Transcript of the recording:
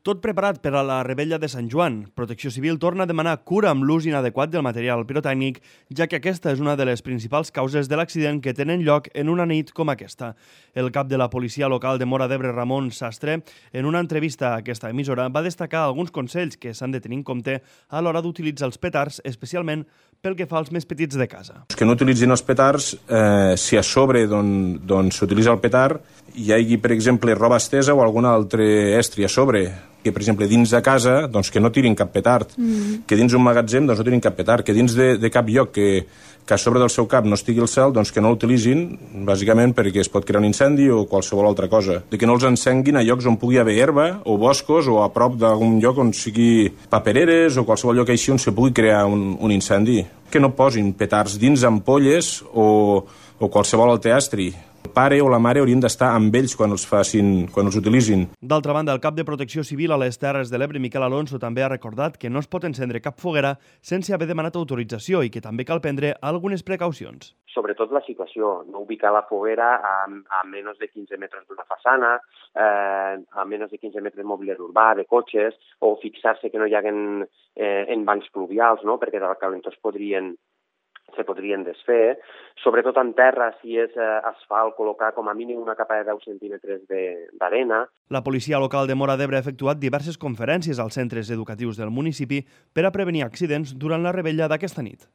Tot preparat per a la rebella de Sant Joan. Protecció Civil torna a demanar cura amb l'ús inadequat del material pirotècnic, ja que aquesta és una de les principals causes de l'accident que tenen lloc en una nit com aquesta. El cap de la policia local de Móra d'Ebre, Ramon Sastre, en una entrevista a aquesta emissora, va destacar alguns consells que s'han de tenir en compte a l'hora d'utilitzar els petards, especialment pel que fa als més petits de casa. Que no utilitzin els petards si a sobre s'utilitza el petard hi hagi, per exemple, roba estesa o algun altre estri a sobre, que, per exemple, dins de casa, doncs, que no tirin cap petard, que dins un magatzem doncs, no tirin cap petard, que dins de cap lloc que a sobre del seu cap no estigui el cel, doncs que no l'utilitzin, bàsicament perquè es pot crear un incendi o qualsevol altra cosa. De que no els encenguin a llocs on pugui haver herba o boscos o a prop d'algun lloc on sigui papereres o qualsevol lloc així on se pugui crear un incendi. Que no posin petards dins ampolles o qualsevol altre estri. El pare o la mare haurien d'estar amb ells quan els utilitzin. D'altra banda, el cap de Protecció Civil a les Terres de l'Ebre, Miquel Alonso, també ha recordat que no es pot encendre cap foguera sense haver demanat autorització i que també cal prendre algunes precaucions. Sobretot la situació, no ubicar la foguera a menys de 15 metres d'una façana, a menys de 15 metres de mobiliari urbà, de cotxes, o fixar-se que no hi haguen bancs pluvials, no? Perquè del calentó se podrien desfer, sobretot en terra, si és asfalt, col·locar com a mínim una capa de 10 centímetres d'arena. La policia local de Móra d'Ebre ha efectuat diverses conferències als centres educatius del municipi per a prevenir accidents durant la rebella d'aquesta nit.